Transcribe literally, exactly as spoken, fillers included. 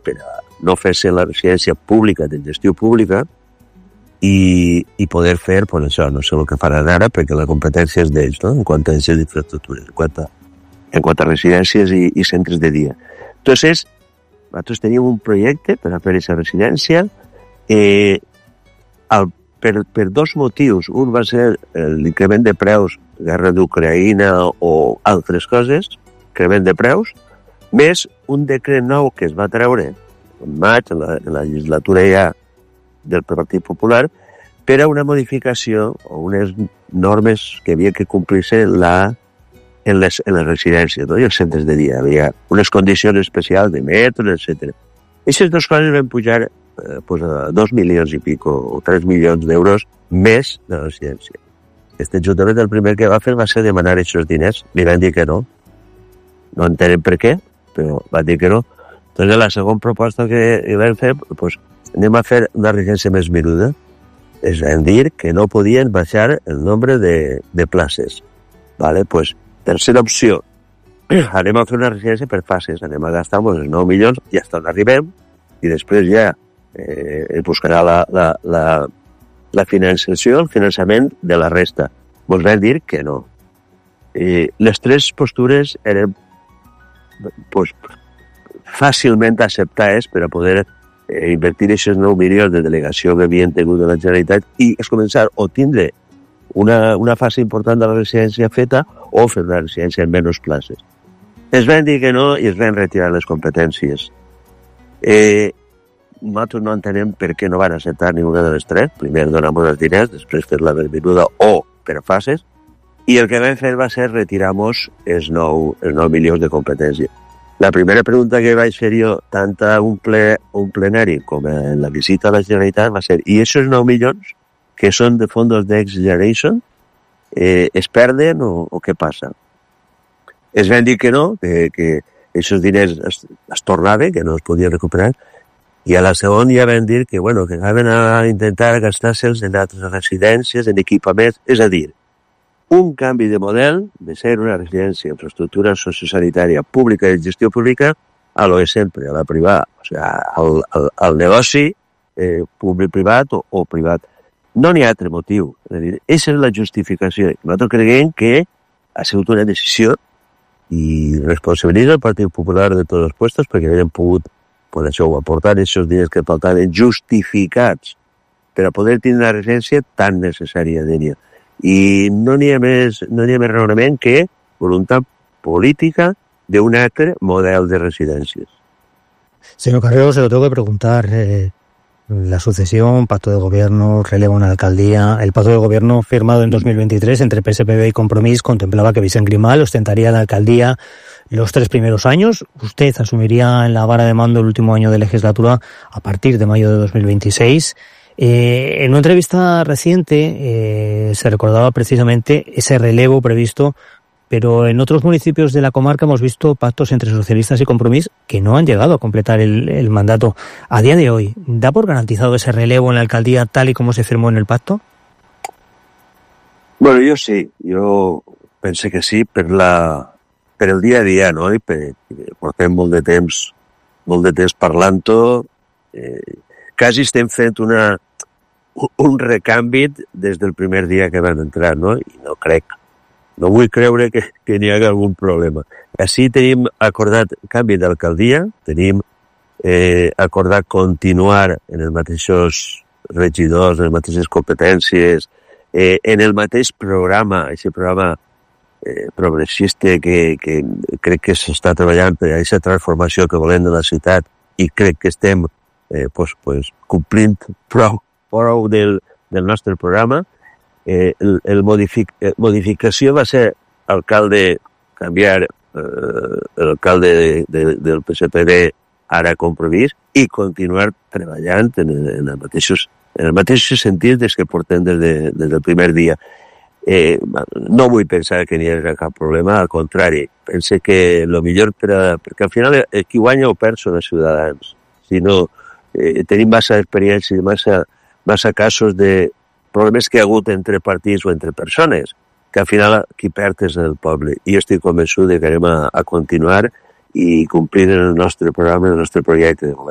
per a no fer-se la residència pública de gestió pública i, i poder fer, pues això, no sé el que faran ara, perquè la competència és d'ells, no?, en quant a aquestes infraestructures, en quant a, en quant a residències i, i centres de dia. Entonces, nosaltres teníem un projecte per a fer aquesta residència, eh, el, per, per dos motius. Un va ser l'increment de preus, guerra d'Ucraïna o altres coses, increment de preus, més un decret nou que es va treure en maig, en la, en la legislatura ja del Partit Popular, per a una modificació o unes normes que havia que complir-se la, en, les, en les residències, no?, i els centres de dia. Hi havia unes condicions especials de metros, etcètera. Aquestes dues coses van pujar eh, pues a dos milions i pico o tres milions d'euros més de la residència. Este ajuntament el primer que va fer va ser demanar aquests diners. Li van dir que no. No entenem per què, però van dir que no. Entonces, la segona proposta que hi vam fer, pues, anem a fer una residència més menuda. Es van dir que no podien baixar el nombre de, de places. Vale? Pues, tercera opció, anem a fer una residència per fases, anem a gastar pues, els nou milions i hasta on arribem, i després ja eh, es buscarà la, la, la, la finançació, el finançament de la resta. Ens van dir que no. I les tres postures eren pues, fàcilment acceptades per a poder eh, invertir aquests nou milions de delegació que havien tingut de la Generalitat i es començar o tindre una, una fase important de la residència feta o fer una residència en menys places. Es van dir que no i es van retirar les competències. Eh, nosaltres no entenem per què no van acceptar ninguna de les tres. Primer donar-nos els diners, després fer la benvinguda o per fases, i el que vam fer va ser retirar-nos els nou, els nou milions de competència. La primera pregunta que vaig fer jo, tant a un, ple, un plenari com en la visita a la Generalitat, va ser, i aquests nou milions, que són de fondos Next Generation, eh, es perden o, o què passa? Es van dir que no, que, que aquests diners es, es tornaven, que no es podien recuperar, i a la segona ja van dir que, bueno, que anaven a intentar gastar-se'ls en altres residències, en equipaments, és a dir, un canvi de model de ser una residència, infraestructura sociosanitària pública i gestió pública a lo de sempre, a la privada, o sigui, al, al, al negoci eh, públic-privat o, o privat. No n'hi ha altre motiu. És a dir, aquesta és la justificació. Nosaltres creiem que ha sigut una decisió i responsabilitza el Partit Popular de tots els puestos perquè havien pogut, per això, aportar aquests diners que faltaven justificats per a poder tenir una residència tan necessària d'ella. I no n'hi ha més, no n'hi ha més raonament que voluntat política de un altre model de residències. Señor Carrero, se lo tengo que preguntar. Eh, la sucesión, pacto de gobierno, relevo en la alcaldía. El pacto de gobierno firmado en dos mil veintitrés entre P S P B y Compromís contemplaba que Vicent Grimal ostentaría la alcaldía los tres primeros años. Usted asumiría en la vara de mando el último año de legislatura a partir de mayo de dos mil veintiséis. Eh, en una entrevista reciente eh, se recordaba precisamente ese relevo previsto, pero en otros municipios de la comarca hemos visto pactos entre socialistas y Compromís que no han llegado a completar el, el mandato. A día de hoy, ¿da por garantizado ese relevo en la alcaldía tal y como se firmó en el pacto? Bueno, jo sí, jo pense que sí per, la, per el dia a dia, no? I per, portem molt de temps, molt de temps parlant-ho, eh, quasi estem fent una un recanvi des del primer dia que van entrar, no? I no crec, no vull creure que, que n'hi hagi algun problema. Així tenim acordat canvi d'alcaldia, tenim eh, acordat continuar en els mateixos regidors, en les mateixes competències, eh, en el mateix programa, aquest programa eh, progressista que, que crec que s'està treballant per a aquesta transformació que volem de la ciutat i crec que estem eh, pues, pues, complint prou prou del, del nostre programa. Eh, el, el modific, eh, modificació va ser alcalde, canviar eh, l'alcalde de, de, del P S P B ara Compromís i continuar treballant en, en, els mateixos, en els mateixos sentits des que portem des, de, des del primer dia. Eh, no vull pensar que n'hi hagi cap problema, al contrari, pense que el millor per a, perquè al final eh, qui guanya o perd són els ciutadans. Si no, eh, tenim massa experiència, massa massa casos de problemes que hi ha hagut entre partits o entre persones, que al final qui perd és el poble. I jo estic convençut que anem a, a continuar i complir el nostre programa, el nostre projecte de govern.